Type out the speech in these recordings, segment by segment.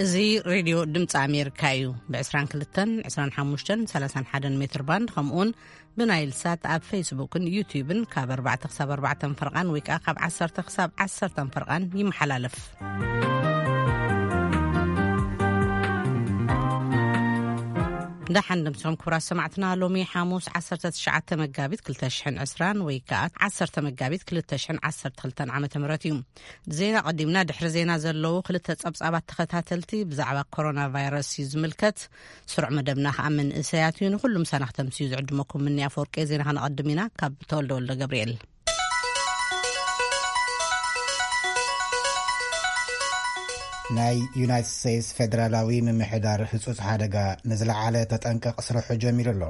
እዚ ሬድዮ ድምፂ ኣሜሪካ እዩ። ብ22፣ 25፣ 31 ሜትር ባንድ፣ ከምኡውን ብናይል ሳት ኣብ ፌስቡክን ዩቲዩብን ካብ ኣርባዕተ ክሳብ ኣርባዕተ ፈርቓን ወይ ከዓ ካብ ዓሰርተ ክሳብ ዓሰርተ ፈርቓን ይመሓላለፍ። ደሓን ድምፅኹም ክቡራት ሰማዕትና፣ ሎሚ ሓሙስ ዓሰርተ ትሽዓተ መጋቢት ክልተ ሽሕን ዕስራን ወይ ከዓ ዓሰርተ መጋቢት ክልተ ሽሕን ዓሰርተ ክልተን ዓመተ ምህረት እዩ። ዜና ቀዲምና፣ ድሕሪ ዜና ዘለዉ ክልተ ጸብጻባት ተኸታተልቲ ብዛዕባ ኮሮና ቫይረስ እዩ ዝምልከት። ስሩዕ መደብና ከኣ መንእሰያት እዩ። ንኹሉም ሳና ክተምስዩ ዝዕድመኩም ምኒ ኣፈወርቂ። ዜና ከነቐድም ኢና ካብ ተወልደ ወልደ ገብርኤል። ናይ ዩናይትድ ስቴትስ ፌደራላዊ ምምሕዳር ህጹጽ ሓደጋ ንዝለዓለ ተጠንቀቕ ስርሑ ጀሚሩ ኣሎ።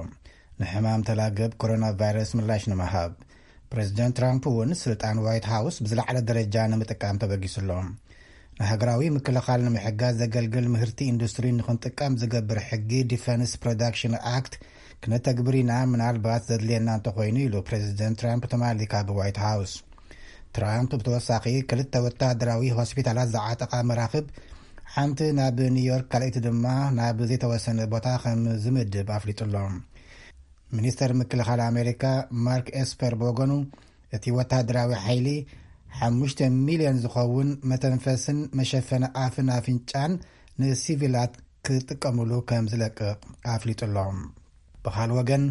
ንሕማም ተላገብ ኮሮና ቫይረስ ምላሽ ንምሃብ፣ ፕሬዚደንት ትራምፕ እውን ስልጣን ዋይት ሃውስ ብዝለዓለ ደረጃ ንምጥቃም ተበጊሱ ኣሎ። ንሃገራዊ ምክልኻል ንምሕጋዝ ዘገልግል ምህርቲ ኢንዱስትሪ ንኽንጥቀም ዝገብር ሕጊ ዲፈንስ ፕሮዳክሽን ኣክት ክነተግብር ኢና፣ ምናልባት ዘድልየና እንተኾይኑ፣ ኢሉ ፕሬዚደንት ትራምፕ ትማሊ ካብ ዋይት ሃውስ። ትራምፕ ብተወሳኺ ክልተ ወታደራዊ ሆስፒታላት ዝዓጠቓ መራኽብ፣ ሓንቲ ናብ ኒውዮርክ ካልኣይቲ ድማ ናብ ዘይተወሰነ ቦታ ከም ዝምድብ ኣፍሊጡ ኣሎ። ሚኒስተር ምክልኻል ኣሜሪካ ማርክ ኤስፐር ብወገኑ፣ እቲ ወታደራዊ ሓይሊ ሓሙሽተ ሚልዮን ዝኸውን መተንፈስን መሸፈኒ ኣፍን ኣፍንጫን ንሲቪላት ክጥቀሙሉ ከም ዝለቅቕ ኣፍሊጡ ኣሎ። ብኻል ወገን፣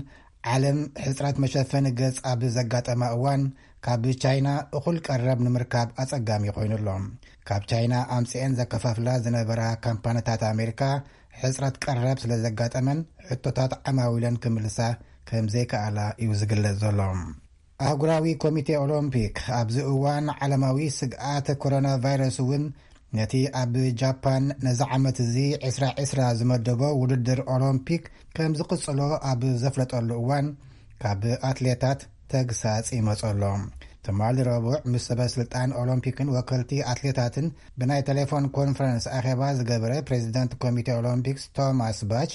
ዓለም ሕጽረት መሸፈኒ ገጽ ኣብ ዘጋጠማ እዋን፣ ካብ ቻይና እኹል ቀረብ ንምርካብ ኣጸጋሚ ኮይኑ ኣሎ። ካብ ቻይና ኣምጺኤን ዘከፋፍላ ዝነበራ ካምፓኒታት ኣሜሪካ፣ ሕጽረት ቀረብ ስለ ዘጋጠመን፣ ሕቶታት ዓማዊለን ክምልሳ ከም ዘይከኣላ እዩ ዝግለጽ ዘሎ። ኣህጉራዊ ኮሚቴ ኦሎምፒክ ኣብዚ እዋን ዓለማዊ ስግኣት ኮሮና ቫይረስ እውን ነቲ ኣብ ጃፓን ነዚ ዓመት እዚ ዕስራ ዕስራ ዝመደቦ ውድድር ኦሎምፒክ ከም ዝቕጽሎ ኣብ ዘፍለጠሉ እዋን፣ ካብ ኣትሌታት ተግሳጽ ይመጸ ኣሎ። ትማሊ ረቡዕ ምስ ሰበ ስልጣን ኦሎምፒክን ወከልቲ ኣትሌታትን ብናይ ቴሌፎን ኮንፈረንስ ኣኼባ ዝገበረ ፕሬዚደንት ኮሚቴ ኦሎምፒክስ ቶማስ ባች፣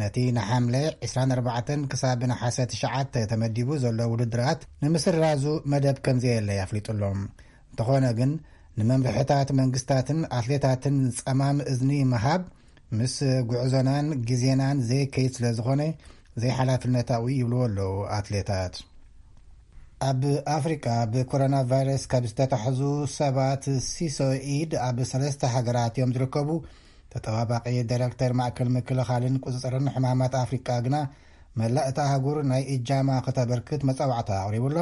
ነቲ ንሓምለ ዕስራን ኣርባዕተን ክሳብ ነሓሰ ትሽዓተ ተመዲቡ ዘሎ ውድድራት ንምስራዙ መደብ ከም ዘየለ ኣፍሊጡ ኣሎ። እንተኾነ ግን፣ ንመምርሕታት መንግስታትን ኣትሌታትን ጸማም እዝኒ ምሃብ ምስ ጉዕዞናን ግዜናን ዘይከይድ ስለ ዝኾነ፣ ዘይሓላፍነታዊ ይብልዎ ኣለዉ ኣትሌታት። ኣብ ኣፍሪቃ ብኮሮና ቫይረስ ካብ ዝተታሕዙ ሰባት ሲሶ ኢድ ኣብ ሰለስተ ሃገራት እዮም ዝርከቡ። ተጠባባቂ ዳይሬክተር ማእከል ምክልኻልን ቁጽጽርን ሕማማት ኣፍሪቃ ግና፣ መላእ እታ ኣህጉር ናይ እጃማ ከተበርክት መጻዋዕታ ኣቕሪቡ ኣሎ።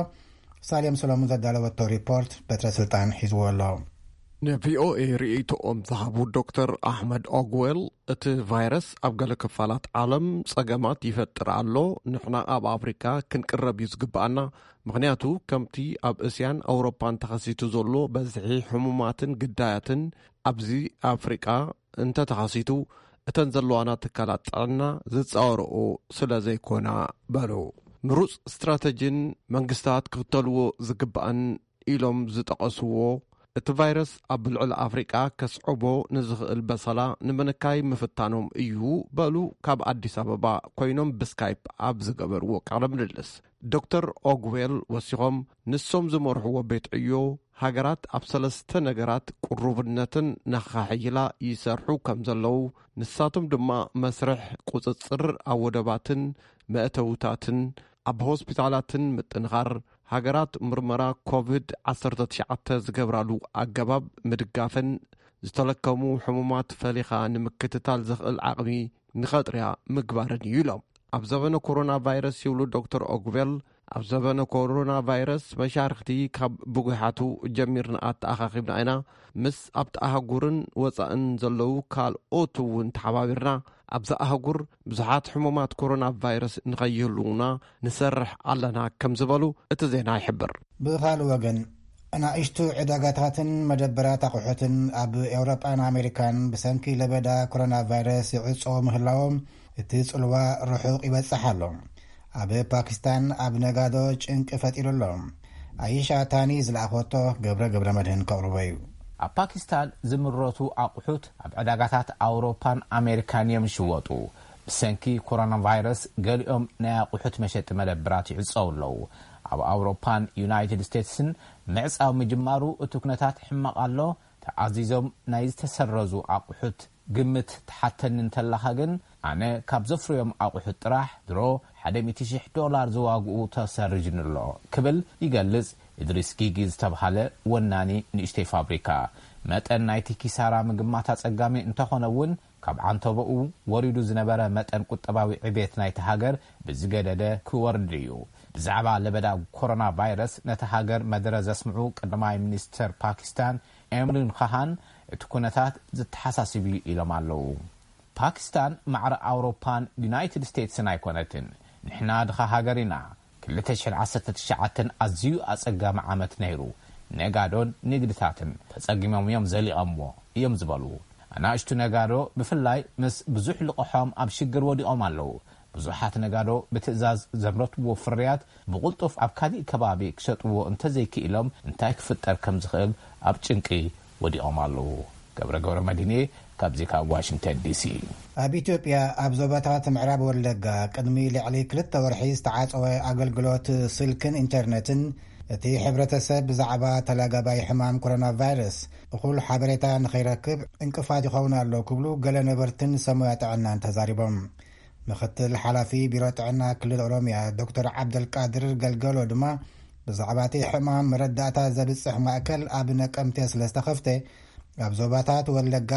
ሳሌም ሰሎሙን ዘዳለወቶ ሪፖርት በትረ ስልጣን ሒዝዎ ኣሎ። ንቪኦኤ ርእይቶኦም ዝሃቡ ዶክተር ኣሕመድ ኦግዌል፣ እቲ ቫይረስ ኣብ ገለ ክፋላት ዓለም ጸገማት ይፈጥር ኣሎ። ንሕና ኣብ ኣፍሪካ ክንቅረብ እዩ ዝግብኣና፣ ምኽንያቱ ከምቲ ኣብ እስያን ኣውሮፓን ተኸሲቱ ዘሎ በዝሒ ሕሙማትን ግዳያትን ኣብዚ ኣፍሪቃ እንተተኸሲቱ፣ እተን ዘለዋና ትካላት ጥዕና ዝጻወረኦ ስለ ዘይኮና በሉ። ምሩጽ ስትራተጂን መንግስታት ክኽተልዎ ዝግባእን ኢሎም ዝጠቐስዎ፣ እቲ ቫይረስ ኣብ ልዕሊ ኣፍሪቃ ከስዕቦ ንዝኽእል በሰላ ንምንካይ ምፍታኖም እዩ በሉ፣ ካብ ኣዲስ ኣበባ ኮይኖም ብስካይፕ ኣብ ዝገበርዎ ቃለ ምልልስ። ዶክተር ኦግዌል ወሲኾም፣ ንሶም ዝመርሕዎ ቤት ዕዮ፣ ሃገራት ኣብ ሰለስተ ነገራት ቅሩብነትን ነኸሓይላ ይሰርሑ ከም ዘለዉ፣ ንሳቶም ድማ መስርሕ ቁጽጽር ኣብ ወደባትን መእተውታትን ኣብ ሆስፒታላትን ምጥንኻር፣ ሃገራት ምርመራ ኮቪድ ዓሰርተ ትሽዓተ ዝገብራሉ ኣገባብ ምድጋፍን ዝተለከሙ ሕሙማት ፈሊኻ ንምክትታል ዘኽእል ዓቕሚ ንኸጥርያ ምግባርን እዩ ኢሎም። ኣብ ዘበነ ኮሮና ቫይረስ ይብሉ ዶክተር ኦግቬል፣ ኣብ ዘበነ ኮሮና ቫይረስ መሻርክቲ ካብ ብጉሓቱ ጀሚርና ኣተኣኻኺብና ኢና። ምስ ኣብቲ ኣህጉርን ወፃእን ዘለዉ ካልኦት እውን ተሓባቢርና ኣብዛ ኣህጉር ብዙሓት ሕሙማት ኮሮና ቫይረስ ንኸይህልዉና ንሰርሕ ኣለና ከም ዝበሉ እቲ ዜና ይሕብር። ብኻልእ ወገን፣ ኣናእሽቱ ዕዳጋታትን መደበራት ኣቑሑትን ኣብ ኤውሮጳን ኣሜሪካን ብሰንኪ ለበዳ ኮሮና ቫይረስ ይዕጸዉ ምህላዎም እቲ ጽልዋ ርሑቕ ይበጽሕ ኣሎ። ኣብ ፓኪስታን ኣብ ነጋዶ ጭንቂ ፈጢሩ ኣሎ። ኣየሻ ታኒ ዝለኣኾቶ ገብረ ገብረ መድህን ከቕርቦ እዩ። ኣብ ፓኪስታን ዝምረቱ ኣቑሑት ኣብ ዕዳጋታት ኣውሮፓን ኣሜሪካን እዮም ዝሽወጡ። ብሰንኪ ኮሮና ቫይረስ ገሊኦም ናይ ኣቑሑት መሸጢ መደብራት ይዕጸው ኣለዉ። ኣብ ኣውሮፓን ዩናይትድ ስቴትስን ምዕጻው ምጅማሩ እቲ ኩነታት ሕማቕ ኣሎ። ተኣዚዞም ናይ ዝተሰረዙ ኣቑሑት ግምት ትሓተኒ እንተላኻ ግን፣ ኣነ ካብ ዘፍርዮም ኣቑሑት ጥራሕ ድሮ ሓደ ሚእቲ ሽሕ ዶላር ዝዋግኡ ተሰሪዙኒ ኣሎ ክብል ይገልጽ ኢድሪስ ጊጊ ዝተብሃለ ወናኒ ንእሽተይ ፋብሪካ። መጠን ናይቲ ኪሳራ ምግማት ኣጸጋሚ እንተኾነ እውን፣ ካብ ዓንተቦኡ ወሪዱ ዝነበረ መጠን ቁጠባዊ ዕቤት ናይቲ ሃገር ብዝገደደ ክወርድ እዩ። ብዛዕባ ለበዳ ኮሮና ቫይረስ ነቲ ሃገር መደረ ዘስምዑ ቀዳማይ ሚኒስተር ፓኪስታን ኤምሪን ኻሃን፣ እቲ ኩነታት ዘተሓሳስብ እዩ ኢሎም ኣለዉ። ፓኪስታን ማዕረ ኣውሮፓን ዩናይትድ ስቴትስን ኣይኮነትን። ንሕና ድኻ ሃገር ኢና። ክልተ ሽሕን ዓሰርተ ትሽዓተን ኣዝዩ ኣጸጋሚ ዓመት ነይሩ። ነጋዶን ንግድታትን ተጸጊሞም እዮም ዘሊቐምዎ እዮም ዝበሉ ኣናእሽቱ ነጋዶ፣ ብፍላይ ምስ ብዙሕ ልቕሖም ኣብ ሽግር ወዲቖም ኣለዉ። ብዙሓት ነጋዶ ብትእዛዝ ዘምረትዎ ፍርያት ብቕልጡፍ ኣብ ካሊእ ከባቢ ክሸጥዎ እንተዘይክኢሎም እንታይ ክፍጠር ከም ዝኽእል ኣብ ጭንቂ ወዲቖም ኣለዉ። ገብረ ገብረ መድህኔ ካብዚ ካብ ዋሽንግተን ዲሲ። ኣብ ኢትዮጵያ ኣብ ዞባታት ምዕራብ ወለጋ ቅድሚ ልዕሊ ክልተ ወርሒ ዝተዓጸወ ኣገልግሎት ስልክን ኢንተርነትን እቲ ሕብረተሰብ ብዛዕባ ተላጋባይ ሕማም ኮሮና ቫይረስ እኹል ሓበሬታ ንኸይረክብ ዕንቅፋት ይኸውን ኣሎ ክብሉ ገለ ነበርትን ሰሞያ ጥዕናን ተዛሪቦም። ምኽትል ሓላፊ ቢሮ ጥዕና ክልል ኦሮምያ ዶክተር ዓብደልቃድር ገልገሎ ድማ ብዛዕባ እቲ ሕማም መረዳእታ ዘብጽሕ ማእከል ኣብ ነቀምቴ ስለ ዝተኸፍተ ኣብ ዞባታት ወለጋ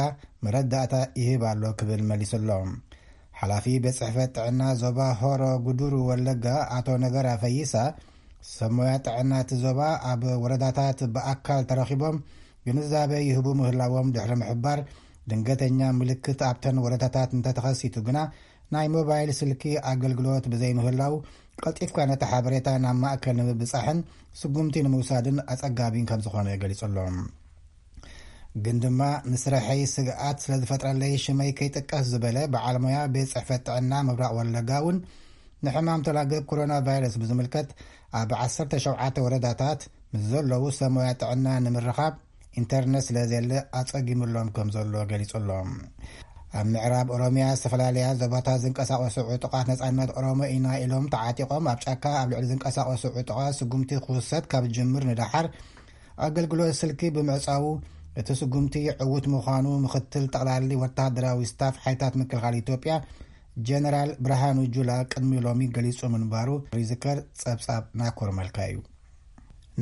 መረዳእታ ይህብ ኣሎ ክብል መሊሱ ኣሎ። ሓላፊ ቤት ጽሕፈት ጥዕና ዞባ ሆሮ ጉዱሩ ወለጋ ኣቶ ነገራ ፈይሳ፣ ሰብ ሞያ ጥዕና እቲ ዞባ ኣብ ወረዳታት ብኣካል ተረኺቦም ግንዛበ ይህቡ ምህላዎም ድሕሪ ምሕባር፣ ድንገተኛ ምልክት ኣብተን ወረዳታት እንተተኸሲቱ ግና ናይ ሞባይል ስልኪ ኣገልግሎት ብዘይምህላው ቀልጢፍካ ነቲ ሓበሬታ ናብ ማእከል ንምብጻሕን ስጉምቲ ንምውሳድን ኣጸጋሚ ከም ዝኾነ ገሊጹ ኣሎ። ግን ድማ ንስርሐይ ስግኣት ስለ ዝፈጥረለይ ሽመይ ከይጥቀስ ዝበለ በዓል ሞያ ቤት ጽሕፈት ጥዕና ምብራቕ ወለጋ እውን ንሕማም ተላገብ ኮሮና ቫይረስ ብዝምልከት ኣብ ዓሰርተ ሸውዓተ ወረዳታት ምስ ዘለዉ ሰብ ሞያ ጥዕና ንምርኻብ ኢንተርነት ስለ ዘየለ ኣጸጊሙሎም ከም ዘሎ ገሊጹ ኣሎ። ኣብ ምዕራብ ኦሮምያ ዝተፈላለያ ዞባታት ዝንቀሳቐሱ ዕጡቓት ነጻነት ኦሮሞ ኢና ኢሎም ተዓጢቖም ኣብ ጫካ ኣብ ልዕሊ ዝንቀሳቐሱ ዕጡቓት ስጉምቲ ክውሰድ ካብ ዝጅምር ንደሓር ኣገልግሎት ስልኪ ብምዕጻዉ እቲ ስጉምቲ ዕዉት ምዃኑ ምኽትል ጠቕላሊ ወተሃደራዊ ስታፍ ሓይልታት ምክልኻል ኢትዮጵያ ጀነራል ብርሃኑ ጁላ ቅድሚ ሎሚ ገሊጹ ምንባሩ ይዝከር። ጸብጻብ ናኮር መልካ እዩ።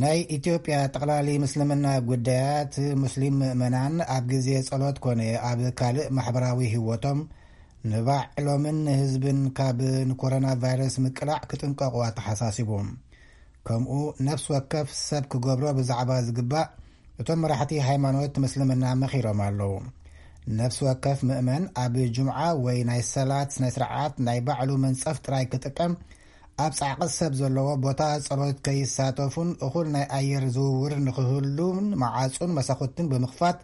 ናይ ኢትዮጵያ ጠቕላሊ ምስልምና ጉዳያት፣ ሙስሊም ምእመናን ኣብ ግዜ ጸሎት ኮነ ኣብ ካልእ ማሕበራዊ ህይወቶም ንባዕሎምን ንህዝብን ካብ ንኮሮና ቫይረስ ምቅላዕ ክጥንቀቑ ኣተሓሳሲቡ። ከምኡ ነፍሲ ወከፍ ሰብ ክገብሮ ብዛዕባ ዝግባእ እቶም መራሕቲ ሃይማኖት ምስልምና መኺሮም ኣለዉ። ነፍሲ ወከፍ ምእመን ኣብ ጁምዓ ወይ ናይ ሰላት ናይ ስርዓት ናይ ባዕሉ መንጸፍ ጥራይ ክጥቀም፣ ኣብ ጻዕቒ ሰብ ዘለዎ ቦታ ጸሎት ከይሳተፉን እኹል ናይ ኣየር ዝውውር ንኽህሉን መዓጹን መሳኹትን ብምኽፋት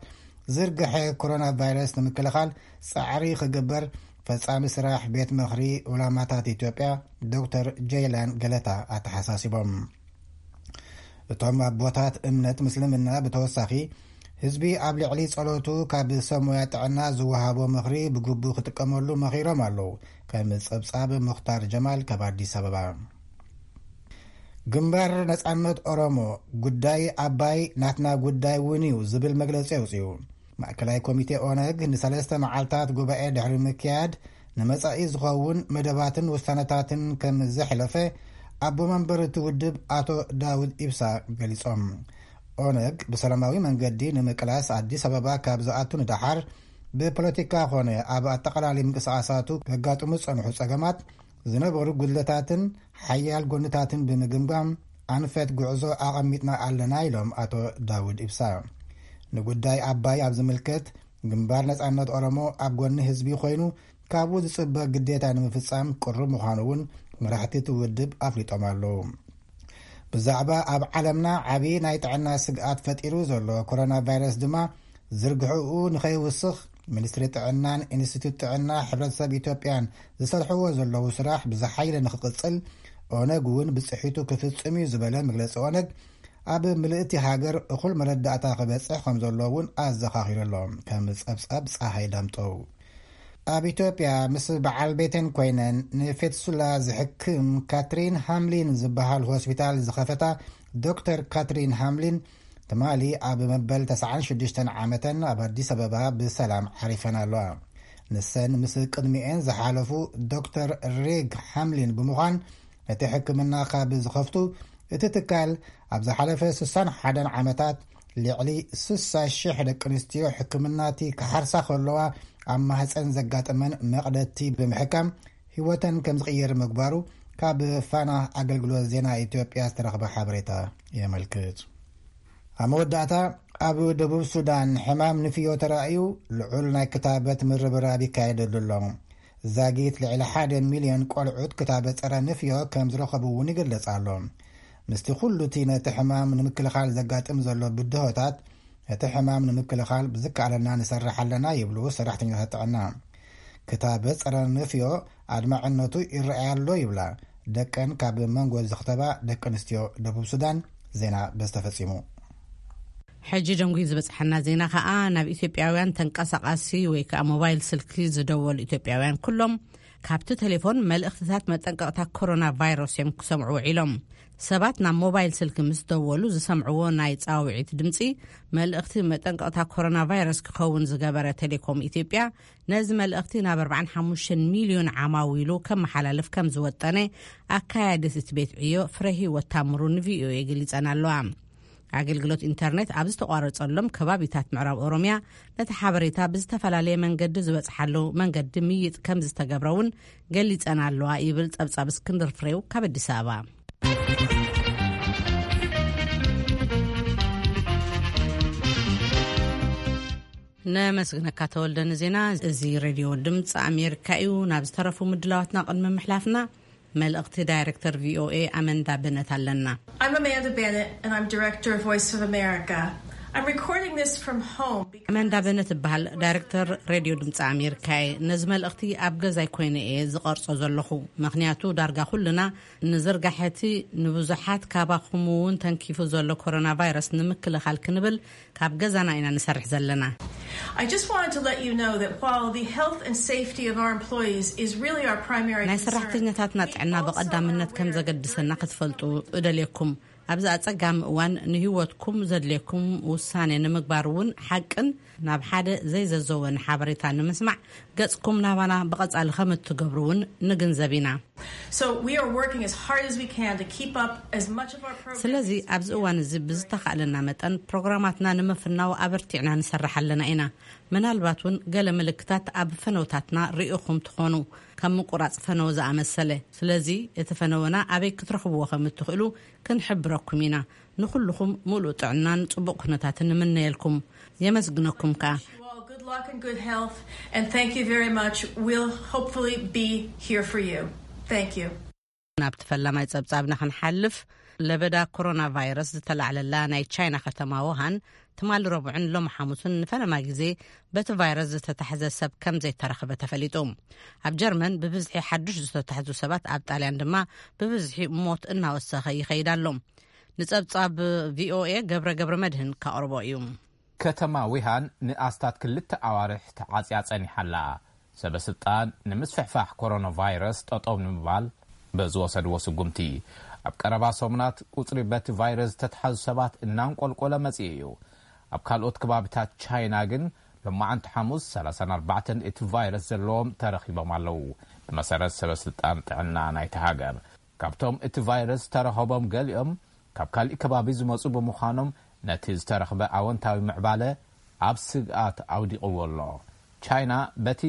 ዝርግሐ ኮሮና ቫይረስ ንምክልኻል ጻዕሪ ክግበር ፈጻሚ ስራሕ ቤት ምኽሪ ዑላማታት ኢትዮጵያ ዶክተር ጀይላን ገለታ ኣተሓሳሲቦም። እቶም ኣቦታት እምነት ምስልምና ብተወሳኺ ህዝቢ ኣብ ልዕሊ ጸሎቱ ካብ ሰብ ሞያ ጥዕና ዝወሃቦ ምኽሪ ብግቡእ ክጥቀመሉ መኺሮም ኣለዉ። ከም ጸብጻብ ሙኽታር ጀማል ካብ ኣዲስ ኣበባ። ግንባር ነጻነት ኦሮሞ ጉዳይ ኣባይ ናትና ጉዳይ እውን እዩ ዝብል መግለጺ ኣውጺኡ። ማእከላይ ኮሚቴ ኦነግ ንሰለስተ መዓልታት ጉባኤ ድሕሪ ምክያድ ንመጻኢ ዝኸውን መደባትን ውሳነታትን ከም ዘሕለፈ ኣቦ መንበር እቲ ውድብ ኣቶ ዳውድ ኢብሳ ገሊጾም። ኦነግ ብሰላማዊ መንገዲ ንምቅላስ ኣዲስ ኣበባ ካብ ዝኣቱ ንደሓር ብፖለቲካ ኾነ ኣብ ኣጠቓላሊ ምንቅስቓሳቱ ከጋጥሙ ዝጸንሑ ጸገማት ዝነበሩ ጉድለታትን ሓያል ጎንታትን ብምግምጋም ኣንፈት ጉዕዞ ኣቐሚጥና ኣለና ኢሎም ኣቶ ዳውድ ኢብሳ። ንጉዳይ ኣባይ ኣብ ዝምልከት ግንባር ነጻነት ኦሮሞ ኣብ ጎኒ ህዝቢ ኮይኑ ካብኡ ዝጽበ ግዴታ ንምፍጻም ቅሩብ ምዃኑ እውን መራሕቲ እቲ ውድብ ኣፍሊጦም ኣለዉ። ብዛዕባ ኣብ ዓለምና ዓቢ ናይ ጥዕና ስግኣት ፈጢሩ ዘሎ ኮሮና ቫይረስ ድማ ዝርግሕኡ ንኸይውስኽ ሚኒስትሪ ጥዕናን ኢንስቲትዩት ጥዕና ሕብረተሰብ ኢትዮጵያን ዝሰርሕዎ ዘለዉ ስራሕ ብዝሓይለ ንኽቕጽል ኦነግ እውን ብጽሒቱ ክፍጽም እዩ ዝበለ መግለጺ ኦነግ ኣብ ምልእቲ ሃገር እኹል መረዳእታ ክበጽሕ ከም ዘለዎ እውን ኣዘኻኺሩ ኣሎ። ከም ጸብጻብ ጸሃይ ዳምጠው። ኣብ ኢትዮጵያ ምስ በዓል ቤተን ኮይነን ንፌትሱላ ዝሕክም ካትሪን ሃምሊን ዝበሃል ሆስፒታል ዝኸፈታ ዶክተር ካትሪን ሃምሊን ትማሊ ኣብ መበል ተስዓን ሽዱሽተን ዓመተን ኣብ ኣዲስ ኣበባ ብሰላም ዓሪፈን ኣለዋ። ንሰን ምስ ቅድሚኤን ዝሓለፉ ዶክተር ሬግ ሓምሊን ብምዃን ነቲ ሕክምና ካብ ዝኸፍቱ፣ እቲ ትካል ኣብ ዝሓለፈ ስሳን ሓደን ዓመታት ልዕሊ ስሳ ሽሕ ደቂ ኣንስትዮ ሕክምናቲ ክሓርሳ ከለዋ ኣብ ማህፀን ዘጋጠመን መቕደቲ ብምሕካም ህይወተን ከም ዝቕየር ምግባሩ ካብ ፋና ኣገልግሎት ዜና ኢትዮጵያ ዝተረኽበ ሓበሬታ የመልክት። ኣብ መወዳእታ፣ ኣብ ደቡብ ሱዳን ሕማም ንፍዮ ተራእዩ ልዑል ናይ ክታበት ምርብራብ ይካየደሉ ኣሎ። ዛጊት ልዕሊ ሓደ ሚልዮን ቆልዑት ክታበት ጸረ ንፍዮ ከም ዝረኸቡ እውን ይግለጽ ኣሎ። ምስቲ ኩሉ እቲ ነቲ ሕማም ንምክልኻል ዘጋጥም ዘሎ ብድሆታት፣ እቲ ሕማም ንምክልኻል ብዝከኣለና ንሰርሕ ኣለና ይብሉ ሰራሕተኛታት ጥዕና። ክታበት ጸረ ንፍዮ ኣድማዕነቱ ይረኣይ ኣሎ ይብላ ደቀን ካብ መንጎ ዝኽተባ ደቂ ኣንስትዮ ደቡብ ሱዳን። ዜና በዚ ተፈጺሙ። ሕጂ ደንጉዩ ዝበጽሓና ዜና ከኣ ናብ ኢትዮጵያውያን ተንቀሳቓሲ ወይ ከኣ ሞባይል ስልኪ ዝደወሉ ኢትዮጵያውያን ኩሎም ካብቲ ቴሌፎን መልእኽትታት መጠንቀቕታ ኮሮና ቫይረስ እዮም ክሰምዑ ውዒሎም። ሰባት ናብ ሞባይል ስልኪ ምስ ደወሉ ዝሰምዕዎ ናይ ጻውዒት ድምጺ፣ መልእኽቲ መጠንቀቕታ ኮሮና ቫይረስ ክኸውን ዝገበረ ቴሌኮም ኢትዮጵያ፣ ነዚ መልእኽቲ ናብ ኣርባዓን ሓሙሽተን ሚልዮን ዓማዊሉ ከመሓላልፍ ከም ዝወጠነ ኣካያዲት እቲ ቤት ዕዮ ፍረህይወት ታምሩ ንቪኦኤ ገሊጸን ኣለዋ። ኣገልግሎት ኢንተርኔት ኣብ ዝተቋረጸሎም ከባቢታት ምዕራብ ኦሮምያ፣ ነቲ ሓበሬታ ብዝተፈላለየ መንገዲ ዝበጽሓሉ መንገዲ ምይጥ ከም ዝተገብረ እውን ገሊጸን ኣለዋ ይብል ጸብጻብ እስክንድር ፍሬው ካብ ኣዲስ ኣበባ። ነመስግነካ ተወልደ ንዜና። እዚ ሬድዮ ድምፂ ኣሜሪካ እዩ። ናብ ዝተረፉ ምድላዋትና ቅድሚ ምሕላፍና፣ መልእኽቲ ዳይሬክተር ቪኦኤ ኣመንዳ በነት ኣለና። I'm Amanda Bennett, and I'm director of Voice of America. I'm recording this from home because ኣመንዳ በነት እበሃል፣ ዳይሬክተር ሬድዮ ድምፂ ኣሜሪካ እየ። ነዚ መልእኽቲ ኣብ ገዛይ ኮይነ እየ ዝቐርጾ ዘለኹ፣ ምኽንያቱ ዳርጋ ኩልና ንዝርጋሐቲ ንብዙሓት ካባኹም እውን ተንኪፉ ዘሎ ኮሮና ቫይረስ ንምክልኻል ክንብል ካብ ገዛና ኢና ንሰርሕ ዘለና። I just wanted to let you know that while the health and safety of our employees is really our primary ናይ concern, ሰራሕተኛታትና ጥዕና ብቐዳምነት ከም ዘገድሰና ክትፈልጡ እደልየኩም። ኣብዚ ኣጸጋሚ እዋን ንህይወትኩም ዘድልየኩም ውሳኔ ንምግባር እውን ሓቅን ናብ ሓደ ዘይዘዘወን ሓበሬታ ንምስማዕ ገጽኩም ናባና ብቐጻሊ ከም እትገብሩ እውን ንግንዘብ ኢና። So we are working as hard as we can to keep up as much of our programs ስለዚ ኣብዚ እዋን እዚ ብዝተኻእለና መጠን ፕሮግራማትና ንምፍናው ኣበርቲዕና ንሰርሕ ኣለና ኢና። ምናልባት እውን ገለ ምልክታት ኣብ ፈነውታትና ርኢኹም ትኾኑ፣ ከም ምቁራጽ ፈነው ዝኣመሰለ። ስለዚ እቲ ፈነወና ኣበይ ክትረኽብዎ ከም እትኽእሉ ክንሕብረኩም ኢና። ንኹልኹም ሙሉእ ጥዕናን ጽቡቕ ኩነታትን ንምነየልኩም። የመስግነኩም ከኣ። Good luck and good health, and thank you very much. We'll hopefully be here for you. Thank you. ናብቲ ፈላማይ ጸብጻብና ክንሓልፍ፣ ለበዳ ኮሮና ቫይረስ ዝተላዕለላ ናይ ቻይና ከተማ ውሃን ትማሊ ረቡዕን ሎሚ ሓሙስን ንፈለማ ግዜ በቲ ቫይረስ ዝተታሕዘ ሰብ ከም ዘይተረኽበ ተፈሊጡ። ኣብ ጀርመን ብብዝሒ ሓዱሽ ዝተታሕዙ ሰባት፣ ኣብ ጣልያን ድማ ብብዝሒ ሞት እናወሰኸ ይኸይድ ኣሎ። ንጸብጻብ ቪኦኤ ገብረ ገብረ መድህን ካቕርቦ እዩ። ከተማ ዊሃን ንኣስታት ክልተ ኣዋርሕ ተዓጽያ ጸኒሓ ኣላ። ሰበ ስልጣን ንምስፍሕፋሕ ኮሮና ቫይረስ ጠጠው ንምባል በዝወሰድዎ ስጉምቲ፣ ኣብ ቀረባ ሰሙናት ቁጽሪ በቲ ቫይረስ ዝተትሓዙ ሰባት እናንቆልቆለ መጺኡ እዩ። ኣብ ካልኦት ከባቢታት ቻይና ግን ሎማዓንቲ ሓሙስ ሰላሳን ኣርባዕተን እቲ ቫይረስ ዘለዎም ተረኺቦም ኣለዉ። ብመሰረት ሰበ ስልጣን ጥዕና ናይቲ ሃገር፣ ካብቶም እቲ ቫይረስ ዝተረኸቦም ገሊኦም ካብ ካሊእ ከባቢ ዝመጹ ብምዃኖም፣ ነቲ ዝተረኽበ ኣወንታዊ ምዕባለ ኣብ ስግኣት ኣውዲቕዎ ኣሎ። ቻይና በቲ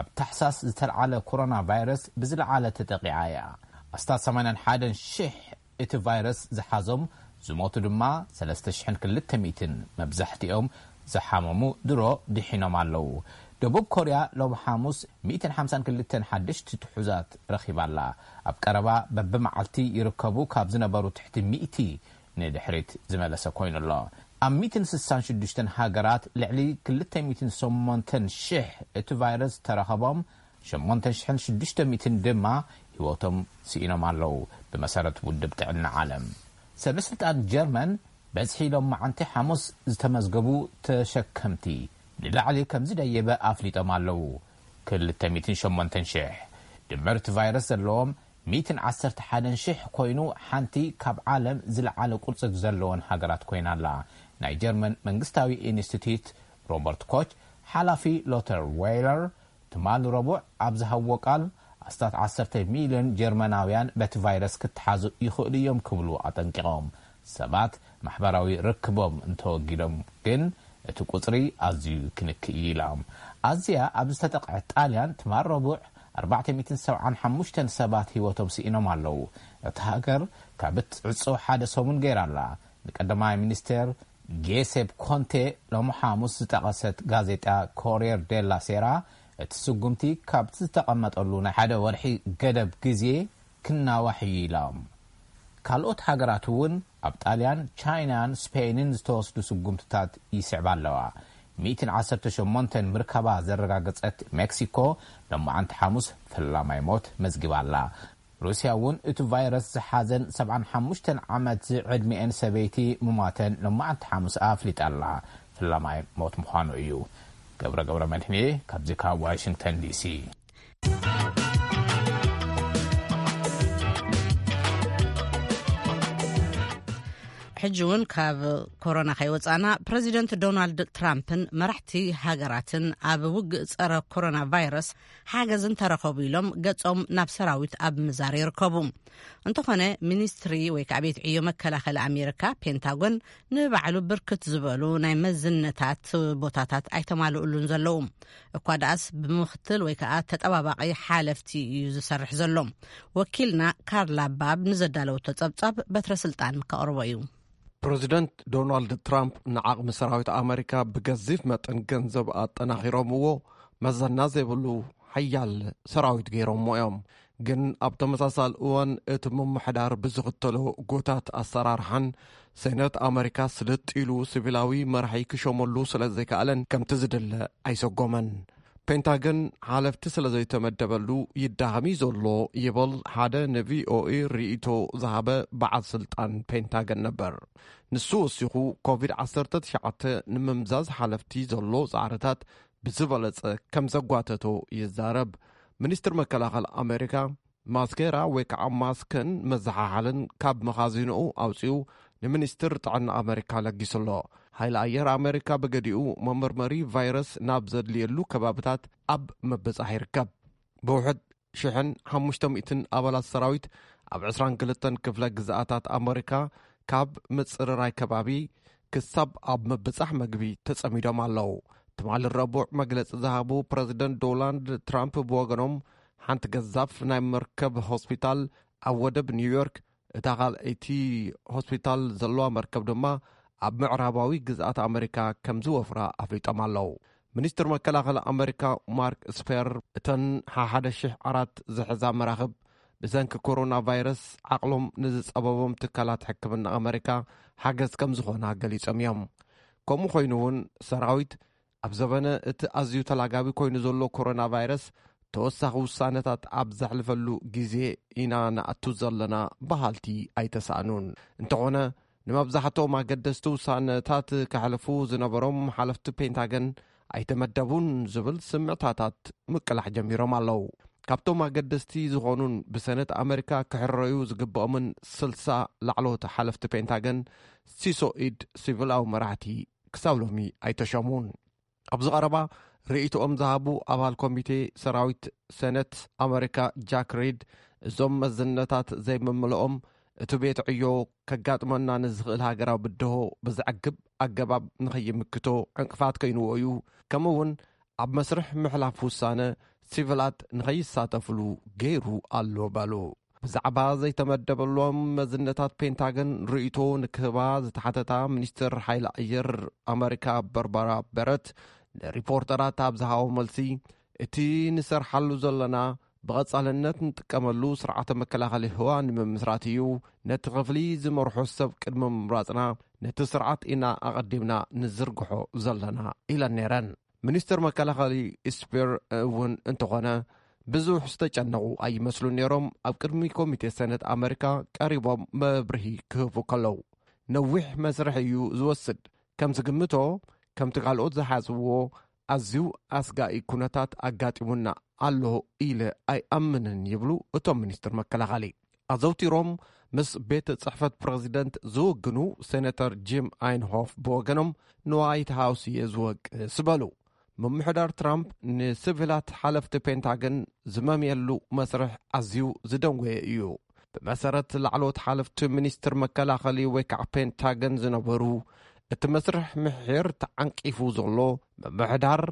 ኣብ ታሕሳስ ዝተልዓለ ኮሮና ቫይረስ ብዝለዓለ ተጠቂዓ እያ። ኣስታት ሰማንያን ሓደን ሽሕ እቲ ቫይረስ ዝሓዞም፣ ዝሞቱ ድማ ሰለስተ ሽሕን ክልተ ሚእትን፣ መብዛሕትኦም ዝሓመሙ ድሮ ድሒኖም ኣለዉ። ደቡብ ኮርያ ሎሚ ሓሙስ ሚእትን ሓምሳን ክልተን ሓደሽቲ ትሑዛት ረኺባ ኣላ። ኣብ ቀረባ በብመዓልቲ ይርከቡ ካብ ዝነበሩ ትሕቲ ሚእቲ ንድሕሪት ዝመለሰ ኮይኑ ኣሎ። ኣብ ሚእትን ስሳን ሽዱሽተን ሃገራት ልዕሊ ክልተ ሚእትን ሸሞንተን ሽሕ እቲ ቫይረስ ተረኸቦም፣ ሸሞንተ ሽሕን ሽዱሽተ ሚእትን ድማ ህይወቶም ስኢኖም ኣለዉ። ብመሰረት ውድብ ጥዕና ዓለም፣ ሰበ ስልጣን ጀርመን በዝሒ ሎም መዓንቲ ሓሙስ ዝተመዝገቡ ተሸከምቲ ንላዕሊ ከም ዝደየበ ኣፍሊጦም ኣለዉ። ክልተ ሚእትን ሸሞንተን ሽሕ ድምር እቲ ቫይረስ ዘለዎም ሚእትን ዓሰርተ ሓደን ሽሕ ኮይኑ፣ ሓንቲ ካብ ዓለም ዝለዓለ ቁጽሪ ዘለወን ሃገራት ኮይና ኣላ። ናይ ጀርመን መንግስታዊ ኢንስቲትዩት ሮበርት ኮች፣ ሓላፊ ሎተር ዌይለር ትማሊ ረቡዕ ኣብ ዝሃብዎ ቃል፣ ኣስታት ዓሰርተ ሚልዮን ጀርመናውያን በቲ ቫይረስ ክተሓዙ ይኽእሉ እዮም ክብሉ ኣጠንቂቖም። ሰባት ማሕበራዊ ርክቦም እንተወጊዶም ግን እቲ ቁጽሪ ኣዝዩ ክንክእ እዩ ኢሎም። ኣዝያ ኣብ ዝተጠቕዐት ጣልያን ትማል ረቡዕ ኣርባዕተ ሚእትን ሰብዓን ሓሙሽተን ሰባት ህይወቶም ስኢኖም ኣለዉ። እታ ሃገር ካብ እትዕጾ ሓደ ሰሙን ገይራ ኣላ። ንቀዳማይ ሚኒስቴር ጌሴፕ ኮንቴ ሎሚ ሓሙስ ዝጠቐሰት ጋዜጣ ኮሪየር ዴላ ሴራ፣ እቲ ስጉምቲ ካብቲ ዝተቐመጠሉ ናይ ሓደ ወርሒ ገደብ ግዜ ክናዋሕ እዩ ኢሎም። ካልኦት ሃገራት እውን ኣብ ጣልያን፣ ቻይናን ስፔንን ዝተወስዱ ስጉምትታት ይስዕባ ኣለዋ። ሚእትን ዓሰርተ ሸሞንተን ምርካባ ዘረጋገጸት ሜክሲኮ፣ ሎማዓንቲ ሓሙስ ፈላማይ ሞት መዝጊባ ኣላ። ሩስያ እውን እቲ ቫይረስ ዝሓዘን ሰብዓን ሓሙሽተን ዓመት ዝዕድሚኤን ሰበይቲ ምሟተን ሎማዓንቲ ሓሙስ ኣፍሊጣ ኣላ። ፈላማይ ሞት ምዃኑ እዩ። ገብረ ገብረ መድህኔ ካብዚ ካብ ዋሽንግተን ዲሲ። ሕጂ እውን ካብ ኮሮና ከይወፃና፣ ፕረዚደንት ዶናልድ ትራምፕን መራሕቲ ሃገራትን ኣብ ውግእ ፀረ ኮሮና ቫይረስ ሓገዝ እንተረኸቡ ኢሎም ገጾም ናብ ሰራዊት ኣብ ምዛር ይርከቡ። እንተኾነ፣ ሚኒስትሪ ወይ ከዓ ቤት ዕዮ መከላኸሊ ኣሜሪካ፣ ፔንታጎን፣ ንባዕሉ ብርክት ዝበሉ ናይ መዝነታት ቦታታት ኣይተማልኡሉን ዘለዉ። እኳ ደኣስ ብምኽትል ወይ ከዓ ተጠባባቒ ሓለፍቲ እዩ ዝሰርሕ ዘሎ። ወኪልና ካርላ ባብ ንዘዳለወቶ ጸብጻብ በትረ ስልጣን ከቕርቦ እዩ። ፕረዚደንት ዶናልድ ትራምፕ ንዓቕሚ ሰራዊት ኣመሪካ ብገዚፍ መጠን ገንዘብ ኣጠናኺሮምዎ፣ መዘና ዘይብሉ ሓያል ሰራዊት ገይሮሞ እዮም። ግን ኣብ ተመሳሳሊ እዋን እቲ ምምሕዳር ብዝኽተሎ ጎታት ኣሰራርሓን ሴነት ኣመሪካ ስልጥ ኢሉ ሲቪላዊ መራሒ ክሾመሉ ስለ ዘይከኣለን ከምቲ ዝድለ ኣይሰጎመን። ፔንታገን ሓለፍቲ ስለ ዘይተመደበሉ ይዳኸም እዩ ዘሎ ይብል ሓደ ንቪኦኤ ርእይቶ ዝሃበ በዓል ስልጣን ፔንታገን ነበር። ንሱ ወሲኹ፣ ኮቪድ ዓሰርተ ትሽዓተ ንምምዛዝ ሓለፍቲ ዘሎ ጻዕርታት ብዝበለጸ ከም ዘጓተቶ ይዛረብ። ሚኒስትር መከላኸሊ ኣሜሪካ ማስኬራ ወይ ከዓ ማስክን መዘሓሓልን ካብ መኻዚንኡ ኣውጺኡ ንሚኒስትር ጥዕና ኣመሪካ ለጊሱ ኣሎ። ሓይሊ ኣየር ኣመሪካ ብገዲኡ መመርመሪ ቫይረስ ናብ ዘድልየሉ ከባብታት ኣብ ምብጻሕ ይርከብ። ብውሕድ ሽሕን ሓሙሽተ ሚእትን ኣባላት ሰራዊት ኣብ ዕስራን ክልተን ክፍለ ግዝኣታት ኣመሪካ ካብ ምጽርራይ ከባቢ ክሳብ ኣብ ምብጻሕ መግቢ ተጸሚዶም ኣለዉ። ትማሊ ረቡዕ መግለጺ ዝሃቡ ፕረዚደንት ዶናልድ ትራምፕ ብወገኖም፣ ሓንቲ ገዛፍ ናይ መርከብ ሆስፒታል ኣብ ወደብ ኒውዮርክ፣ እታ ካልኣይቲ ሆስፒታል ዘለዋ መርከብ ድማ ኣብ ምዕራባዊ ግዝኣት ኣመሪካ ከም ዝወፍራ ኣፍሊጦም ኣለዉ። ሚኒስትር መከላኸሊ ኣመሪካ ማርክ ስፐር፣ እተን ሓሓደ ሽሕ ዓራት ዝሕዛ መራኽብ ብሰንኪ ኮሮና ቫይረስ ዓቕሎም ንዝጸበቦም ትካላት ሕክምና ኣመሪካ ሓገዝ ከም ዝኾና ገሊጾም እዮም። ከምኡ ኮይኑ እውን ሰራዊት ኣብ ዘበነ እቲ ኣዝዩ ተላጋቢ ኮይኑ ዘሎ ኮሮና ቫይረስ ተወሳኺ ውሳነታት ኣብ ዘሕልፈሉ ግዜ ኢና ንኣቱ ዘለና በሃልቲ ኣይተሳእኑን። እንተኾነ ንመብዛሕትኦም ኣገደስቲ ውሳነታት ከሕልፉ ዝነበሮም ሓለፍቲ ፔንታገን ኣይተመደቡን ዝብል ስምዕታታት ምቅላሕ ጀሚሮም ኣለዉ። ካብቶም ኣገደስቲ ዝኾኑን ብሰነት ኣመሪካ ክሕረዩ ዝግብኦምን ስልሳ ላዕለዎት ሓለፍቲ ፔንታገን ሲሶ ኢድ ሲቪላዊ መራሕቲ ክሳብ ሎሚ ኣይተሸሙን። ኣብዚ ቀረባ ርእይቶኦም ዝሃቡ ኣባል ኮሚቴ ሰራዊት ሰነት ኣመሪካ ጃክ ሪድ፣ እዞም መዝነታት ዘይምምልኦም እቲ ቤት ዕዮ ከጋጥመና ንዝኽእል ሃገራዊ ብድሆ ብዘዕግብ ኣገባብ ንኸይምክቶ ዕንቅፋት ኮይንዎ እዩ፣ ከምኡ እውን ኣብ መስርሕ ምሕላፍ ውሳነ ሲቪላት ንኸይሳተፍሉ ገይሩ ኣሎ በሉ። ብዛዕባ ዘይተመደበሎም መዝነታት ፔንታገን ርእይቶ ንክህባ ዝተሓተታ ሚኒስትር ሓይሊ ኣየር ኣመሪካ በርባራ በረት ንሪፖርተራት ኣብ ዝሃቦ መልሲ፣ እቲ ንሰርሓሉ ዘለና ብቐጻልነት ንጥቀመሉ ስርዓተ መከላኸሊ ህዋ ንምምስራት እዩ። ነቲ ክፍሊ ዝመርሖ ሰብ ቅድሚ ምምራጽና ነቲ ስርዓት ኢና ኣቐዲምና ንዝርግሖ ዘለና ኢለን ነይረን። ሚኒስትር መከላኸሊ ስፒር እውን እንተኾነ ብዙሕ ዝተጨነቑ ኣይመስሉን ነይሮም። ኣብ ቅድሚ ኮሚቴ ሰነት ኣመሪካ ቀሪቦም መብርሂ ክህቡ ከለዉ፣ ነዊሕ መስርሕ እዩ ዝወስድ። ከም ዝግምቶ፣ ከምቲ ካልኦት ዝሓስብዎ ኣዝዩ ኣስጋኢ ኩነታት ኣጋጢሙና ኣሎ ኢለ ኣይኣምንን ይብሉ እቶም ሚኒስትር መከላኸሊ። ኣዘውቲሮም ምስ ቤት ጽሕፈት ፕረዚደንት ዝውግኑ ሴነተር ጂም ኣይንሆፍ ብወገኖም፣ ንዋይት ሃውስ እየ ዝወቅስ በሉ። ምምሕዳር ትራምፕ ንሲቪላት ሓለፍቲ ፔንታገን ዝመምየሉ መስርሕ ኣዝዩ ዝደንጎየ እዩ። ብመሰረት ላዕለዎት ሓለፍቲ ሚኒስትር መከላኸሊ ወይ ከዓ ፔንታገን ዝነበሩ፣ እቲ መስርሕ ምሒር ተዓንቂፉ ዘሎ ምምሕዳር፣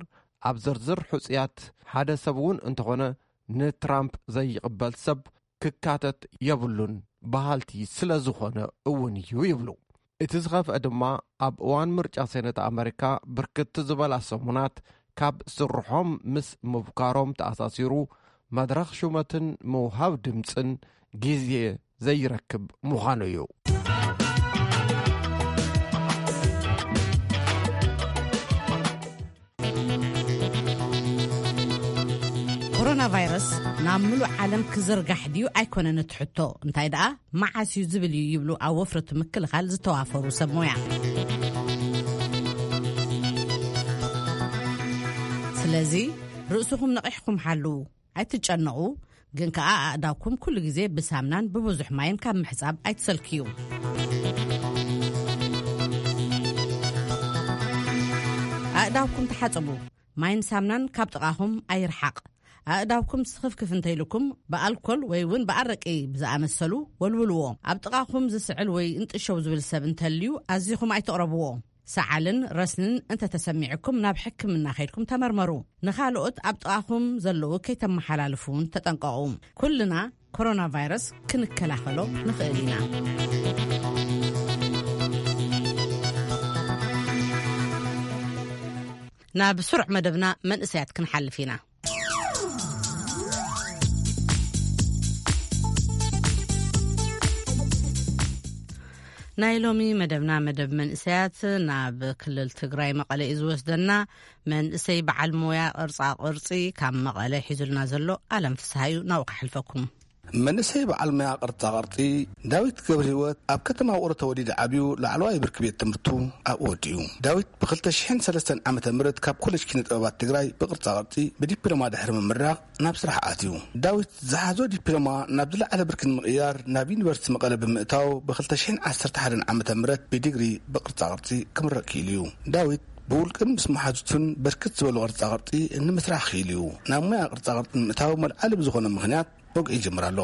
ኣብ ዝርዝር ሕፁያት ሓደ ሰብ እውን እንተኾነ ንትራምፕ ዘይቕበል ሰብ ክካተት የብሉን በሃልቲ ስለ ዝኾነ እውን እዩ ይብሉ። እቲ ዝኸፍአ ድማ ኣብ እዋን ምርጫ ሴነት ኣመሪካ ብርክት ዝበላ ሰሙናት ካብ ስርሖም ምስ ምብካሮም ተኣሳሲሩ መድረኽ ሹመትን ምውሃብ ድምፅን ግዜ ዘይረክብ ምዃኑ እዩ። ኮሮና ቫይረስ ናብ ምሉእ ዓለም ክዝርጋሕ ድዩ ኣይኮነን እቲ ሕቶ፣ እንታይ ደኣ መዓስ እዩ ዝብል እዩ ይብሉ ኣብ ወፍሪ እቲ ምክልኻል ዝተዋፈሩ ሰብ ሞያ። ስለዚ ርእስኹም ነቒሕኩም ሓልዉ፣ ኣይትጨነቑ፣ ግን ከኣ ኣእዳውኩም ኩሉ ግዜ ብሳምናን ብብዙሕ ማይን ካብ ምሕጻብ ኣይትሰልክዩ። ኣእዳውኩም ተሓጽቡ፣ ማይን ሳምናን ካብ ጥቓኹም ኣይርሓቕ። ኣእዳውኩም ስኽፍክፍ እንተይልኩም ብኣልኮል ወይ እውን ብኣረቂ ብዝኣመሰሉ ወልውልዎ። ኣብ ጥቓኹም ዝስዕል ወይ እንጥሸው ዝብል ሰብ እንተልዩ ኣዚኹም ኣይትቕረብዎ። ሰዓልን ረስንን እንተተሰሚዕኩም ናብ ሕክምና ከይድኩም ተመርመሩ። ንኻልኦት ኣብ ጥቓኹም ዘለዉ ከይተመሓላልፉ እውን ተጠንቀቑ። ኩልና ኮሮና ቫይረስ ክንከላኸሎ ንኽእል ኢና። ናብ ስሩዕ መደብና መንእሰያት ክንሓልፍ ኢና። ናይ ሎሚ መደብና መደብ መንእሰያት ናብ ክልል ትግራይ መቐለ እዩ ዝወስደና። መንእሰይ በዓል ሞያ ቅርጻ ቅርጺ ካብ መቐለ ሒዙልና ዘሎ ኣለም ፍስሃዩ ናብኡ ክሓልፈኩም። መንእሰይ በዓል ሞያ ቅርጻ ቅርጺ ዳዊት ገብረ ህይወት ኣብ ከተማ ውቕሮ ተወሊደ ዓብዩ ላዕለዋይ ብርኪ ቤት ትምህርቱ ኣብኡ ወዲኡ። ዳዊት ብ2003 ዓመተ ምህረት ካብ ኮሌጅ ኪነ ጥበባት ትግራይ ብቅርጻ ቅርጺ ብዲፕሎማ ድሕሪ ምምራቕ ናብ ስራሕ ኣትዩ። ዳዊት ዝሓዞ ዲፕሎማ ናብ ዝለዓለ ብርኪ ንምቕያር ናብ ዩኒቨርሲቲ መቐለ ብምእታው ብ2011 ዓመተ ምህረት ብዲግሪ ብቅርጻ ቅርጺ ክምረቕ ክኢሉ እዩ። ዳዊት ብውልቅን ምስ መሓዙቱን በርክት ዝበሉ ቅርጻ ቅርጺ ንምስራሕ ክኢሉ እዩ። ናብ ሞያ ቅርጻ ቅርጺ ንምእታው መልዓሊ ብዝኾነ ምኽንያት ወግዒ ይጅምር ኣሎ።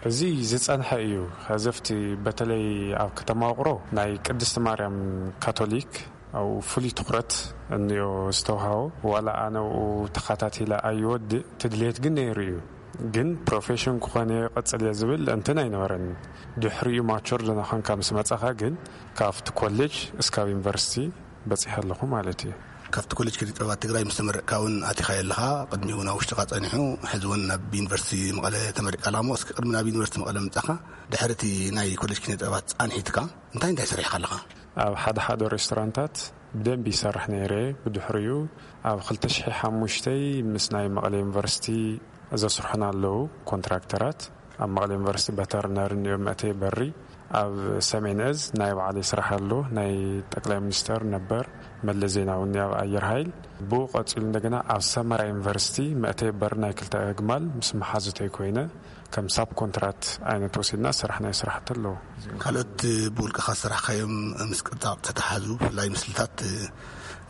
እዚ ዝጸንሐ እዩ። ከዘፍቲ በተለይ ኣብ ከተማ ውቕሮ ናይ ቅድስቲ ማርያም ካቶሊክ ኣብኡ ፍሉይ ትኹረት እንዮ ዝተውሃቦ። ዋላ ኣነ ኣብኡ ተኸታቲለ ኣይወድእ፣ ትድልየት ግን ነይሩ እዩ። ግን ፕሮፌሽን ክኾነ ቀጽል እየ ዝብል እንትን ኣይነበረን። ድሕሪኡ ማቹር ዝነኾንካ ምስ መጻኻ ግን ካብቲ ኮሌጅ እስካብ ዩኒቨርሲቲ በጺሐ ኣለኹ ማለት እዩ። ካብቲ ኮሌጅ ኪነ ጥበባት ትግራይ ምስ ተመረቅካ እውን ኣቲኻዮ ኣለኻ። ቅድሚኡ እውን ኣብ ውሽጥኻ ጸኒሑ፣ ሕዚ እውን ናብ ዩኒቨርሲቲ መቐለ ተመሪቅካ ኣለኻ እሞ፣ እስኪ ቅድሚ ናብ ዩኒቨርሲቲ መቐለ ምጻኻ፣ ድሕሪ እቲ ናይ ኮሌጅ ኪነ ጥበባት ጻንሒትካ እንታይ እንታይ ሰሪሕካ ኣለኻ? ኣብ ሓደ ሓደ ሬስቶራንታት ብደንቢ ይሰርሕ ነይረ። ብድሕሪኡ ኣብ 2005 ምስ ናይ መቐለ ዩኒቨርሲቲ ዘስርሑና ኣለዉ ኮንትራክተራት። ኣብ መቐለ ዩኒቨርሲቲ በተርነር እንዮ መእተይ በሪ። ኣብ ሰሜን እዝ ናይ ባዕለይ ስራሕ ኣሎ። ናይ ጠቅላይ ሚኒስተር ነበር መለስ ዜናዊ እኒ ኣብ ኣየር ኃይል። ብኡ ቀጺሉ እንደገና ኣብ ሰመራ ዩኒቨርሲቲ መእተይ በሪ ናይ ክልተ ኣግማል ምስ መሓዙተይ ኮይነ ከም ሳብ ኮንትራት ዓይነት ወሲድና ስራሕ ናይ ስራሕቲ ኣለዎ። ካልኦት ብውልቅኻ ዝሰራሕካዮም ምስ ቅርጻ ቅርጺ ተተሓዙ፣ ብፍላይ ምስልታት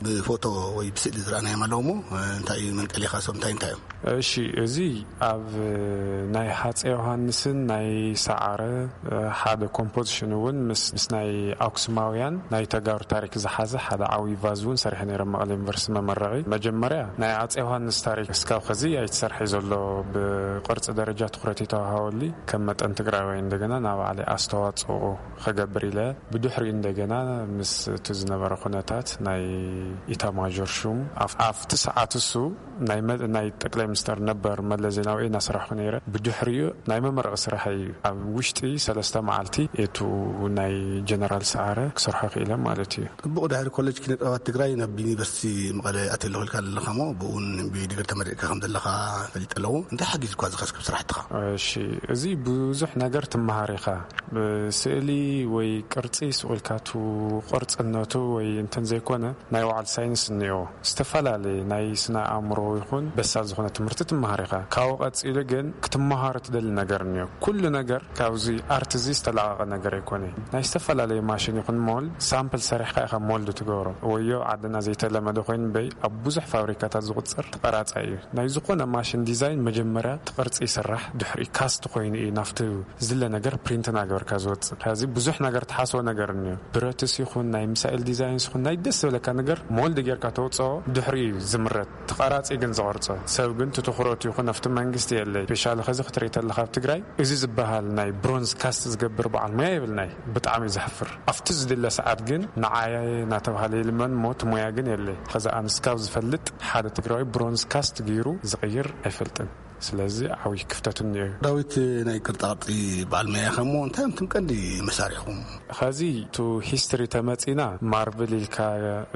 ብፎቶ ወይ ብስእሊ ዝረኣናዮም ኣለዉ እሞ፣ እንታይ እዩ መንቀሊኻ፣ እሶም እንታይ እንታይ እዮም? እሺ፣ እዚ ኣብ ናይ ሃፀይ ዮሃንስን ናይ ሰዓረ ሓደ ኮምፖዚሽን እውን ምስ፣ ምስ ናይ ኣክሱማውያን ናይ ተጋሩ ታሪክ ዝሓዘ ሓደ ዓብዪ ቫዝ እውን ሰሪሐ ነይረ፣ መቐለ ዩኒቨርሲቲ መመረቒ። መጀመርያ ናይ ኣፀይ ዮሃንስ ታሪክ እስካብ ኸዚ ኣይተሰርሐ ዘሎ፣ ብቅርፂ ደረጃ ትኹረት ይተዋሃበሉ። ከም መጠን ትግራዋይ እንደገና ናብ ባዕለይ ኣስተዋፅኦ ኸገብር ኢለ፣ ብድሕሪኡ እንደገና ምስ እቲ ዝነበረ ኩነታት ናይ ኢታማዦር ሹም ኣፍ-፣ ኣብቲ ሰዓት እሱ ናይ መ-፣ ናይ ጠቅላይ ሚኒስተር ነበር መለስ ዜናዊ እናሰራሕኩ ነይረ። ብድሕሪኡ ናይ መመረቂ ስራሕ እዩ። ኣብ ውሽጢ ሰለስተ መዓልቲ እቱ ናይ ጀነራል ሰዓረ ክሰርሖ ክኢለ ማለት እዩ። ጽቡቕ፣ ድሕሪ ኮሌጅ ኪነ ጥበባት ትግራይ ናብ ዩኒቨርሲቲ መቐለ ኣትየ ኣለኹ ኢልካ ኣለኻ እሞ፣ ብእውን ብዲግሪ ተመሪቕካ ከም ዘለኻ ፈሊጠ ኣለኹ። እንታይ ሓጊዙካ እዚ ከስክብ ስራሕትኻ? እሺ፣ እዚ ብዙሕ ነገር ትመሃር ኢኻ። ብስእሊ ወይ ቅርጺ ስቕ ኢልካ እቱ ቅርጽነቱ ወይ እንትን ዘይኮነ፣ ናይ በዓል ሳይንስ እኒኦ፣ ዝተፈላለየ ናይ ስነ ኣእምሮ ይኹን በሳል ዝኾነ ትምህርቲ ትመሃር ኢኻ። ካብኡ ቀጺሉ ግን ክትመሃሮ ትደሊ ነገር እኒኦ። ኩሉ ነገር ካብዚ ኣርት እዚ ዝተላቐቐ ነገር ኣይኮነ። ናይ ዝተፈላለየ ማሽን ይኹን ሞልድ ሳምፕል ሰሪሕካ ኢኻ ሞልድ ትገብሮ። ወዮ ዓድና ዘይተለመደ ኮይኑ በይ ኣብ ብዙሕ ፋብሪካታት ዝቑጸር ተቐራጻይ እዩ። ናይ ዝኾነ ማሽን ዲዛይን መጀመርያ እቲ ቅርጺ ይስራሕ፣ ድሕሪ ካስት ኮይኑ እዩ ናብቲ ዝለ ነገር ፕሪንት እናገበርካ ዝወጽእ። ከዚ ብዙሕ ነገር ትሓስቦ ነገር እኒኦ። ብረትስ ይኹን ናይ ሚሳኤል ዲዛይንስ ይኹን ናይ ደስ ዝብለካ ነገር ሞልድ ጌርካ ተውፅኦ፣ ድሕሪ እዩ ዝምረት። ተቐራጺ ግን ዝቐርጾ ሰብ ግን ትትኹረቱ ይኹን ኣብቲ መንግስቲ የለይ። ስፔሻሊ ከዚ ክትርኢ ተለኻ ኣብ ትግራይ እዚ ዝበሃል ናይ ብሮንዝ ካስት ዝገብር በዓል ሞያ የብልናይ። ብጣዕሚ እዩ ዘሕፍር። ኣብቲ ዝድለ ሰዓት ግን ንዓየ እናተባሃለ ይልመን እሞ እቲ ሞያ ግን የለይ። ከዚ ኣንስካብ ዝፈልጥ ሓደ ትግራዊ ብሮንዝ ካስት ገይሩ ዝቕይር ኣይፈልጥን። ስለዚ ዓብዪ ክፍተት እኒኦ እዩ። ዳዊት፣ ናይ ቅርጻ ቅርጺ በዓል መያ ኢኻ እሞ እንታይ እዮም እቶም ቀንዲ መሳርሕኹም? ኸዚ ቱ ሂስትሪ ተመጺና ማርብል ኢልካ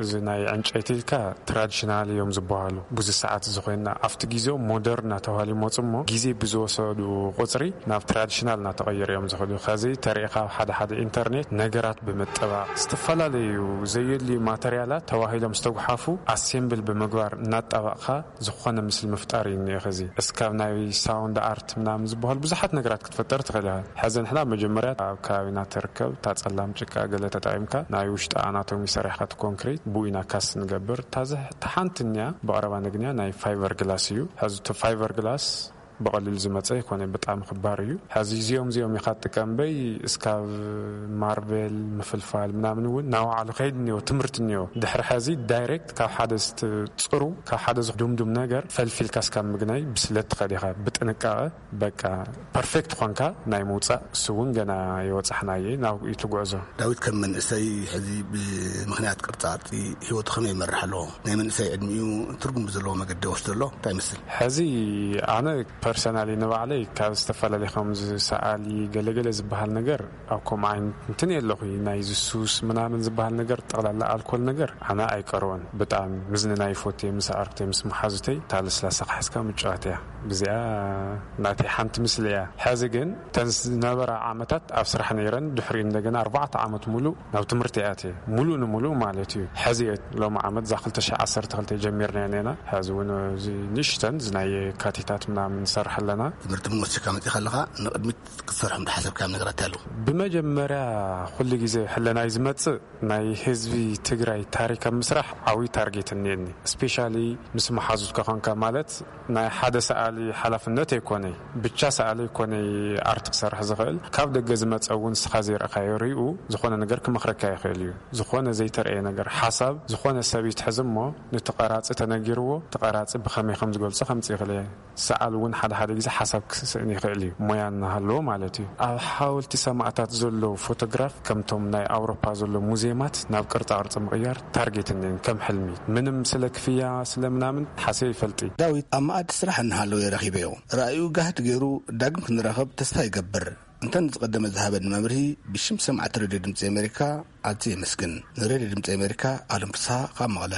እዚ ናይ ዕንጨይቲ ኢልካ ትራዲሽናል እዮም ዝበሃሉ። ብዙ ሰዓት እዚ ኮይና ኣብቲ ግዜኦም ሞደርን እናተባሃሉ ይመጹ እሞ ግዜ ብዝወሰዱ ቁጽሪ ናብ ትራዲሽናል እናተቐየሩ እዮም ዝኸዱ። ኸዚ ተሪእኻ ኣብ ሓደ ሓደ ኢንተርኔት ነገራት ብምጥባቕ ዝተፈላለዩ ዘየድልዩ ማተርያላት ተባሂሎም ዝተጉሓፉ ኣሴምብል ብምግባር እናጣባቕኻ ዝኾነ ምስሊ ምፍጣር እዩ እኒኦ። ኸዚ እስካብ ናይ ሳውንድ ኣርት ምናምን ዝበሃሉ ብዙሓት ነገራት ክትፈጠር ትኽእል ኢኻ። ሕዚ ንሕና መጀመርያ ኣብ ከባቢና ትርከብ እታ ጸላም ጭቃ ገለ ተጠቒምካ ናይ ውሽጢ ኣናቶሚ ሰሪሕካ እቲ ኮንክሪት ብኡ ኢና ካስ ንገብር። እታ ዝ-፣ እታ ሓንቲ እኒኣ ብቐረባ ነግንያ ናይ ፋይበር ግላስ እዩ። ሕዚ እቲ ፋይበር ግላስ ብቐሊሉ ዝመጸ ይኮነ፣ ብጣዕሚ ክባር እዩ። ሕዚ እዚኦም እዚኦም ኢኻ ትጥቀምበይ እስካብ ማርቤል ምፍልፋል ምናምን እውን ናባዕሉ ከይድ እኒኦ፣ ትምህርቲ እኒኦ። ድሕሪ ሕዚ ዳይሬክት ካብ ሓደ ዝትጽሩ፣ ካብ ሓደ ዝድምዱም ነገር ፈልፊልካ እስካብ ምግናይ ብስለት ትኸድ ኢኻ። ብጥንቃቐ በቃ ፐርፌክት ኾንካ ናይ ምውጻእ፣ እሱ እውን ገና ይወጻሕናየ፣ ናብኡ እዩ ትጉዕዞ። ዳዊት፣ ከም መንእሰይ ሕዚ ብምኽንያት ቅርጻ ቅርጺ ህይወቱ ከመይ ይመርሕ ኣሎ? ናይ መንእሰይ ዕድሚኡ ትርጉም ብዘለዎ መገዲ ወስዶ ኣሎ? እንታይ ይመስል? ሕዚ ኣነ ፐርሰናሊ ንባዕለይ ካብ ዝተፈላለዩ ከምዚ ሰኣሊ ገለገለ ዝበሃል ነገር ኣብ ከምኡ ዓይነት እንትን የለኹ። ናይ ዝሱስ ምናምን ዝበሃል ነገር፣ ጠቕላላ ኣልኮል ነገር ኣነ ኣይቀርቦን። ብጣዕሚ ምዝንናይ ይፈቱ እየ፣ ምስ ኣዕርክተይ ምስ መሓዙተይ እታ ለስላሳ ክሕዝካ ምጭዋት እያ። ብዚኣ ናተይ ሓንቲ ምስሊ እያ። ሕዚ ግን እተን ዝነበራ ዓመታት ኣብ ስራሕ ነይረን፣ ድሕሪኡ እንደገና ኣርባዕተ ዓመት ሙሉእ ናብ ትምህርቲ ኣትየ፣ ሙሉእ ንሙሉእ ማለት እዩ። ሕዚ እየ ሎሚ ዓመት እዛ ክልተ ሽሕ ዓሰርተ ክልተ ጀሚርና ኢና። ሕዚ እውን እዚ ንእሽተን እዚ ናይ የካቲታት ምናምን ንሰርሕ ኣለና። ትምህርቲ ምወሲካ መፂኻ ኣለኻ፣ ንቕድሚት ክትሰርሖም ዝሓሰብካዮም ነገራት ኣለዉ? ብመጀመርያ ኩሉ ግዜ ሕለናይ ዝመጽእ ናይ ህዝቢ ትግራይ ታሪክ ኣብ ምስራሕ ዓብዪ ታርጌት እኒአኒ። ስፔሻሊ ምስ መሓዙትካ ኾንካ፣ ማለት ናይ ሓደ ሰኣሊ ሓላፍነት ኣይኮነይ፣ ብቻ ሰኣሊ ኣይኮነይ ኣርት ክሰርሕ ዝኽእል። ካብ ደገ ዝመጸ እውን ንስኻ ዘይረእካዮ ሪኡ ዝኾነ ነገር ክመኽረካ ይኽእል እዩ። ዝኾነ ዘይተረእየ ነገር፣ ሓሳብ ዝኾነ ሰብ ይትሕዝ እሞ፣ ነቲ ቀራጺ ተነጊርዎ፣ እቲ ቀራጺ ብኸመይ ከም ዝገልጾ ከምጽእ ይኽእል እየ። ሰኣል እውን ሓደ ሓደ ግዜ ሓሳብ ክስእን ይኽእል እዩ፣ ሞያ እናሃለዎ ማለት እዩ። ኣብ ሓወልቲ ሰማእታት ዘሎ ፎቶግራፍ ከምቶም ናይ ኣውሮፓ ዘሎ ሙዚየማት ናብ ቅርጻ ቅርጺ ምቕያር ታርጌት እኒአን ከም ሕልሚ። ምንም ስለ ክፍያ ስለ ምናምን ሓስየ ይፈልጢ። ዳዊት፣ ኣብ መኣዲ ስራሕ እናሃለወ የረኺበዮ። ራእዩ ጋህዲ ገይሩ ዳግም ክንራኸብ ተስፋ ይገብር። እንተ ንዝቐደመ ዝሃበኒ መምርሂ ብሽም ሰማዕቲ ሬድዮ ድምፂ ኣሜሪካ ኣዝየ የመስግን። ንሬድዮ ድምፂ ኣሜሪካ ኣለም ፍስሃ ካብ መቐለ።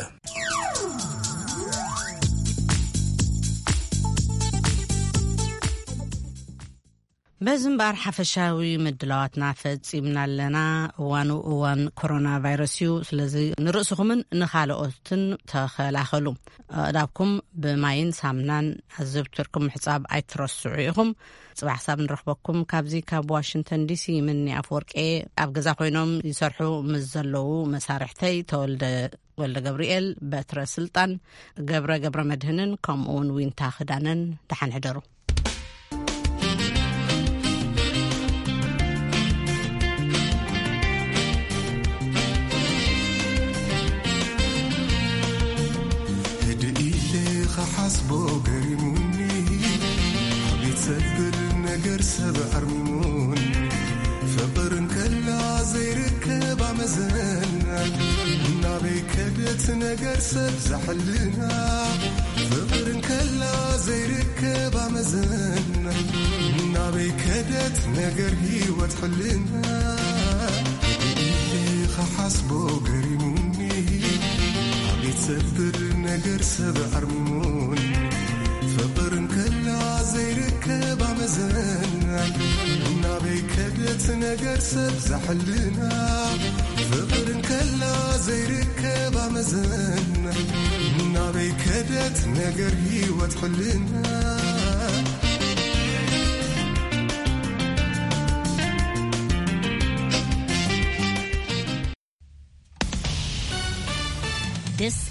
በዚ እምበኣር ሓፈሻዊ ምድላዋትና ፈጺምና ኣለና። እዋኑ እዋን ኮሮና ቫይረስ እዩ። ስለዚ ንርእስኹምን ንኻልኦትን ተኸላኸሉ። ኣእዳብኩም ብማይን ሳምናን ኣዘውቲርኩም ምሕጻብ ኣይትረስዑ ኢኹም። ጽባሕ ሳብ ንረኽበኩም። ካብዚ ካብ ዋሽንግተን ዲሲ ምኒ ኣፍወርቄ፣ ኣብ ገዛ ኮይኖም ይሰርሑ ምስ ዘለዉ መሳርሕተይ ተወልደ ወልደ ገብርኤል፣ በትረ ስልጣን፣ ገብረ ገብረ መድህንን ከምኡ እውን ዊንታ ክዳነን፣ ደሓን ሕደሩ። ህድእ ኢለ ክሓስቦ ገሪሙኒ፣ ኣቤት ዘብል ነገር ሰብ ኣርሚሙኒ። ፍቕር እንከላ ዘይርከብ ኣመዘን፣ ናበይ ከደት ነገር ሰብ ዘሕልና። ፍቕር እንከላ ዘይርከብ ኣመዘን፣ ናበይ ከደት ነገር ህይወት ሕልና። ኢለ ክሓስቦ ገሪሙኒ፣ ኣቤት ዘብል ነገር ሰብ ኣርሚሙኒ። ፍቕር እንከላ ዘይርከብ ኣመዘን፣ ናበይ ከደት ነገር ሰብ ዘሕልና። ፍቕር እንከላ ዘይርከብ መዘና ናበይ ከደት ነገር ህይወት ሕልና This